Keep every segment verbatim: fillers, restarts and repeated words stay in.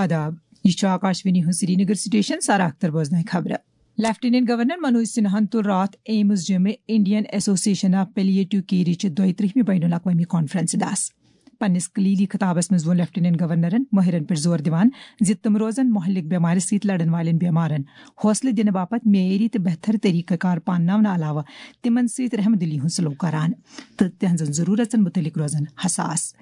آداب، یہِ چھُ آکاشوانی ہُنٛد سرینگر سٹیشن۔ سارا اختر بوزناوِ خبرٕ۔ لیفٹیننٹ گورنر منوج سنہاہن تُل راتھ ایمز جیمہِ انڈین ایسوسیشن آف پیلیٹو کیئرٕچہِ دۄیہِ ترٛہمہِ بین الاقوامی کانفرنسہِ دس۔ پننِس کلیدی خطابس منٛز ووٚن لیفٹیننٹ گورنرن مٲہرن پٮ۪ٹھ زور دِوان زِ تِم روزن مہلک بٮ۪مارِ سۭتۍ لڑن والٮ۪ن بٮ۪مارن حوصلہٕ دِنہٕ باپتھ معیٲری تہٕ بہتر طریقہٕ کار پانناونہٕ علاوٕ تِمن سۭتۍ رحم دلی ہُنٛد سلوک کران تہٕ تِہنٛزن ضروٗرژن مُتعلق روزن حساس۔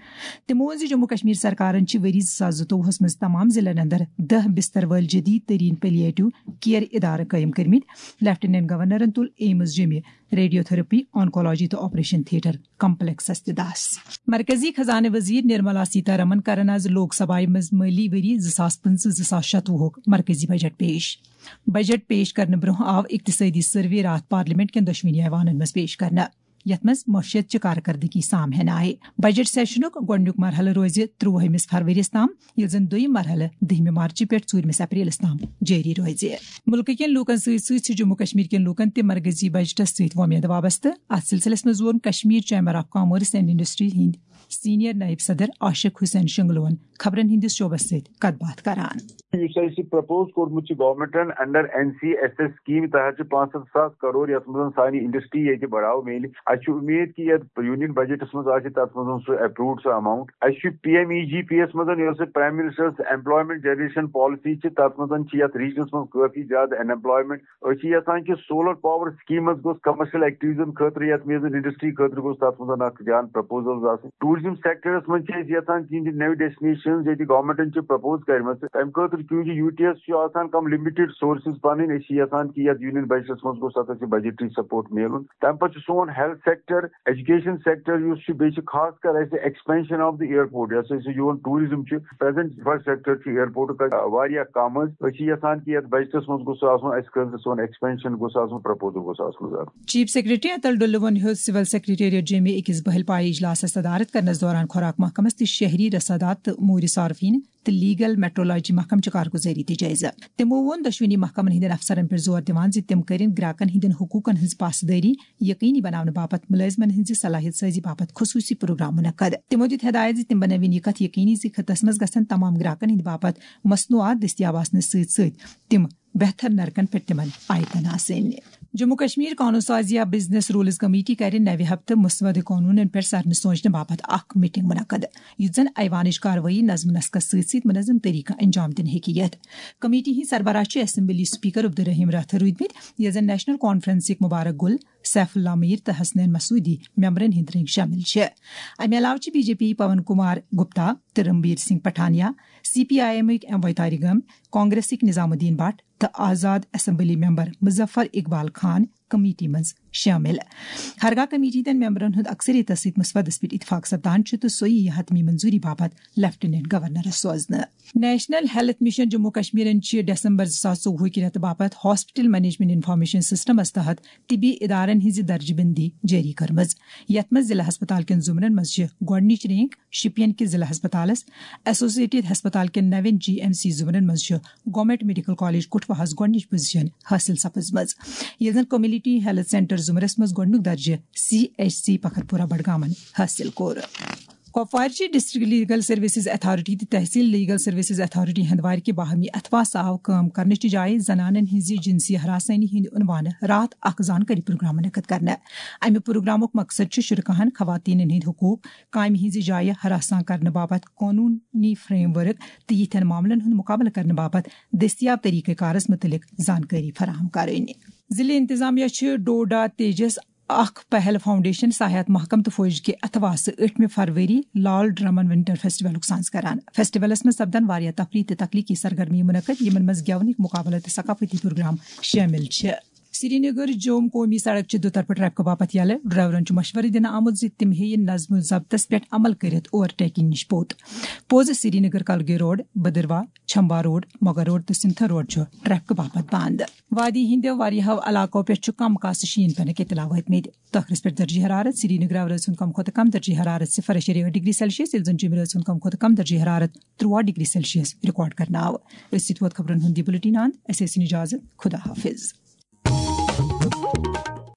تِمو ووٚن زِ جموں کشمیر سرکارن چھِ ؤری زٕ ساس زٕتووُہس منٛز تمام ضلعن اندر دَہ بستر وٲلۍ جدید ترین پیلیٹو کیئر ادارٕ قٲیِم کٔرمٕتۍ۔ لیفٹیننٹ گورنرن تُل ایمز جیمہِ ریڈیو تھراپی، آنکولوجی تہٕ آپریشن تھیٹر کمپلیکسس تہِ دس۔ مرکزی خزانہٕ وزیر نرملا سیتارمن کرن از لوک سبھایہ منٛز مٲلی ؤری زٕ ساس پٕنٛژٕہ زٕ ساس شتوُہُک مرکزی بجٹ پیش۔ بجٹ پیش کرنہٕ برونٛہہ آو اقتصٲدی سروے راتھ پارلیمنٹ کٮ۪ن دۄشوٕنی ایوانن منٛز پیش کرنہٕ، یتھ منٛز معیشت چہِ کارکردگی سام ہینہٕ آیہِ۔ بجٹ سیشنُک گۄڈٕنیُک مرحلہٕ روزِ ترٛوُہمِس فرؤریَس تام، ییٚلہِ زن دوٚیِم مرحلہٕ دٔہمہِ مارچہِ پٮ۪ٹھ ژوٗرمِس اپریلس تام جٲری روزِ۔ مُلکہٕ کٮ۪ن لوٗکن سۭتۍ سۭتۍ چھِ جموں کشمیر کٮ۪ن لوٗکن تہِ مرکزی بجٹس سۭتۍ وۄمید وابستہٕ۔ اتھ سلسلس منٛز ووٚن Kashmir chamber of commerce and industry ہٕنٛدۍ سینئر نائب صدر عاشق حسین شنگلون خبرن ہٕنٛدِس شعبس سۭتۍ کتھ باتھ کران۔ یُس اَسہِ پرپوز کوٚرمُت چھُ گورنمنٹن under N C S S scheme تحت چھِ پانٛژھ ہتھ ساس کرور، یتھ منٛز سانہِ انڈسٹری ییٚتہِ بڑاو میلہِ۔ اَسہِ چھُ اُمید کہِ یتھ یونین بجٹس منٛز آسہِ تتھ منٛز سُہ اپروڈ سُہ اماؤنٹ۔ اَسہِ چھُ پی ایم ای جی پی یس منٛز، یۄس prime ministers employment generation policy چھِ، تتھ منٛز چھِ یتھ ریجنس منٛز کٲفی زیادٕ ان ایمپلایمنٹ۔ أسۍ چھِ یژھان کہِ سولر پاور سکیٖمس گوٚژھ کمرشل ایکٹیویٹیزن خٲطرٕ، یتھ میزن انڈسٹری خٲطرٕ گوٚژھ تتھ منٛز اکھ جان پرپوزلز آسٕنۍ۔ ٹوریزم سیکٹرس منٛز چھِ أسۍ یژھان کہِ یِم نٔوۍ ڈیسٹنیشنز ییٚتہِ گورنمنٹن چھِ پرپوز کٔرمٕژ، تمہِ خٲطرٕ چوٗنکہِ یو ٹی ایس چھُ آسان کم لِمِٹڈ سورسز پنٕنۍ، أسۍ چھِ یژھان کہِ یتھ یونین بجٹس منٛز گوٚژھ اتھ اَسہِ بجٹری سپورٹ میلُن۔ تمہِ پتہٕ چھُ سون ہیلتھ سیکٹر، ایجوکیشن سیکٹر یُس چھُ، بیٚیہِ چھُ خاص کر اَسہِ ایکسپینشن آف دی ایئرپورٹ، یۄس اَسہِ یِوان ٹوریزم چھُ، پریزنٹ انفراسٹرکچر چھُ ایئرپورٹُک واریاہ کم حظ۔ أسۍ چھِ یژھان کہِ یتھ بجٹس منٛز گوٚژھ آسُن اَسہِ خٲطرٕ سون ایکسپینشن گوٚژھ آسُن، پرپوزل گوٚژھ آسُن زیادٕ۔ چیف سیکرٹری اتل ڈُلہٕ ووٚن ہیوٚت سول سیکرٹریٹ جیمہِ أکِس بہل پایہِ اجلاسس صدارت کرنس دوران خوراک محکمس تہٕ شہری رسادات تہٕ موٗرِ صارفین تہٕ لیگل میٹرولوجی محکمہٕ چہِ کارگزٲری تہِ جٲیزٕ۔ تِمو ووٚن دۄشوٕنی محکمن ہٕنٛدٮ۪ن افسرن پٮ۪ٹھ زور دِوان زِ تِم کٔرِن گراکن ہٕنٛدٮ۪ن حقوٗقن ہٕنٛز پاسدٲری یقینی بناونہٕ باپتھ مُلٲزمن ہٕنٛزِ صلاحیت سٲزی باپتھ خصوٗصی پروگرام منعقد۔ تِمو دِیُت ہدایت زِ تِم بنٲوِن یہِ کتھ یقینی زِ خطس منٛز گژھن تمام گراکن ہٕنٛدِ باپتھ مصنوعات دٔستیاب آسنہٕ سۭتۍ سۭتۍ تِم بہتر نرکن پٮ۪ٹھ تِمن آیتن آسٕنۍ۔ جموں کشمیر قانون سازی یا بزنس رولز کمیٹی کرِ نوِ ہفتہٕ مسودٕ قانونن پٮ۪ٹھ سرنہٕ سونچنہٕ باپتھ اکھ میٹنگ منعقد، یُتھ زن ایوانٕچ کاروٲیی نظم نسقس سۭتۍ سۭتۍ منظم طریقہٕ انجام دِنہٕ ہیٚکہِ یِتھ۔ کمیٹی ہٕنٛدۍ سربراہ چھِ اسمبلی سپیکر عبدالرحیم راتھر روٗدمٕتۍ، یتھ زن نیشنل کانفرنسٕکۍ مبارک گل، سیف اللہ میر تہٕ حسنین مسعودی ممبرن ہٕنٛدۍ رٔنگۍ شٲمِل چھِ۔ امہِ علاوٕ چھِ B J P Pawan Kumar Gupta تہٕ Ranbir Singh Pathania, C P I ایمٕکۍ ایم ویتاری گم، کانگریسٕکۍ نظام الدین بٹ تہٕ آزاد assembly member Muzaffar Iqbal Khan committee منٛز شٲمِل۔ ہرگاہ کمیٹی ہٕنٛدٮ۪ن ممبرن ہُنٛد اکثریتس سۭتۍ مسودس پٮ۪ٹھ اتفاق سپدان چھُ تہٕ سُہ یِیہِ حتمی منظوری باپتھ لیفٹیننٹ گورنرس سوزنہٕ۔ نیشنل ہیلتھ مشن جموں کشمیرن چھِ دسمبر زٕ ساس ژوٚوُہ کہِ رٮ۪تہٕ باپتھ ہاسپٹل مینجمنٹ انفارمیشن سسٹمس تحت طبی ادارن ہٕنٛزِ درجہٕ بندی جٲری کٔرمٕژ، یتھ منٛز ضلع ہسپتال کٮ۪ن زمرن منٛز چھِ گۄڈٕنِچ رینک شپین کہِ ضلع ہسپتالس، ایسوسیٹڈ ہسپتال کٮ۪ن نوٮ۪ن جی ایم سی زمرن منٛز چھِ گورنمنٹ میڈیکل کالج کٹھوہس گۄڈٕنِچ پوزیشن حٲصِل سپٕزمٕژ، ییٚلہِ زن کمیونٹی ہیلتھ سینٹر زمرس منٛز گۄڈٕنیُک درجہٕ سی ایچ سی پکھرپورہ بڈگامن حٲصِل کوٚر۔ کۄپوارچہِ ڈسٹرکٹ لیگل سروسز اتھارٹی تہٕ تحصیل لیگل سروسز اتھارٹی ہندوارِ کہِ باہمی اتھواس آو کٲم کرنٕچہِ جایہِ زنانن ہٕنزِ جنسی ہراسانی ہٕندِ عنوانہٕ راتھ اکھ زانکٲری پروگرام منعقد کرنہٕ۔ امہِ پروگرامُک مقصد چھُ شرکاہن خواتینن ہٕندۍ حقوق، کامہِ ہٕنزِ جایہِ ہراساں کرنہٕ باپتھ قونوٗنی فریم ورک تہٕ یِتھٮ۪ن معاملن ہُند مُقابلہٕ کرنہٕ باپتھ دٔستیاب طریقہٕ کارس مُتعلق زانکٲری فراہم کرٕنۍ۔ ضلع انتظامیہ چھِ ڈوڈا تیجس اکھ پہل فاؤنڈیشن، سیاحت محکمہٕ تہٕ فوج کہِ اتھواسہٕ ٲٹھمہِ فروری لال ڈرمن ونٹر فیسٹیولُک سانز کران۔ فیسٹیولس منٛز سپدن واریاہ تفریح تہٕ تخلیقی سرگرمی منعقد، یِمن منٛز گٮ۪ونٕکۍ مقابلہٕ تہٕ ثقافتی پروگرام شٲمِل چھِ۔ سرینگر جوم قومی سڑک چھِ دُطرفہٕ ٹریفکہٕ باپتھ یلہٕ۔ ڈرائیورن چھُ مشورٕ دِنہٕ آمُت زِ تِم ہیٚیِن نظم و ضبطس پٮ۪ٹھ عمل کٔرِتھ اوور ٹیکنگ نِش پوٚت۔ پوٚز سرینگر کلگے road, Bhaderwah, Chamba road, Mughal road تہٕ سنتھر روڈ چھُ ٹریفکہٕ باپتھ بند۔ وادی ہٕنٛدیو واریاہو علاقو پٮ۪ٹھ چھُ کم کاسہٕ شیٖن پٮ۪نہٕ کہِ تلاوٲتۍ مٕتۍ۔ ٲخرس پٮ۪ٹھ درجہ حرارت۔ سرینگر آورٲژ ہُنٛد کم کھۄتہٕ کم درجہ حرارت صفر اعشاریہ ٲٹھ ڈگری سیلسیس، ییٚلہِ زن جیٚمہِ رٲژ ہُنٛد کم کھۄتہٕ کم درجہ حرارت ترٛوواہ ڈگری سیلسیس ریکارڈ کرنہٕ آو۔ أتھۍ سۭتۍ ووت خبرن ہُنٛد یہِ بُلٹن اند۔ اَسہِ ٲسِن اجازت۔ خدا حافظ۔